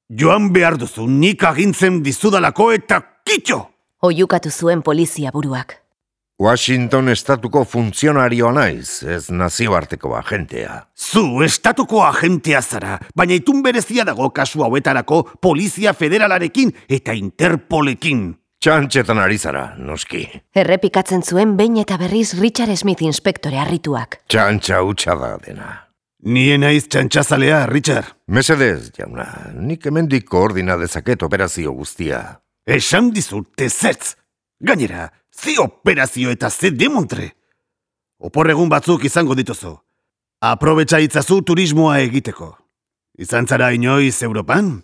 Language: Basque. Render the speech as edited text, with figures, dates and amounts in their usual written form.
Joan behar duzu, nik agintzen dizudalako eta kitxo! Oiukatu zuen polizia buruak. Washington estatuko funtzionarioa naiz, ez nazioarteko agentea. Zu estatuko agentea zara, baina itun berezia dago kasu hauetarako Polizia Federalarekin eta Interpolekin. Txantxetan ari zara, noski. Errepikatzen zuen behin eta berriz Richard Smith inspektore harrituak. Txantxa hutsa da dena. Nien naiz txantxazalea, Richard. Mesedez, jauna, nik hemendik koordina dezaket operazio guztia. Esan dizut ezetz. Gainera, ze operazio eta ze demontre. Oporregun batzuk izango dituzu. Aprobetxa itzazu turismoa egiteko. Izan zara inoiz Europan?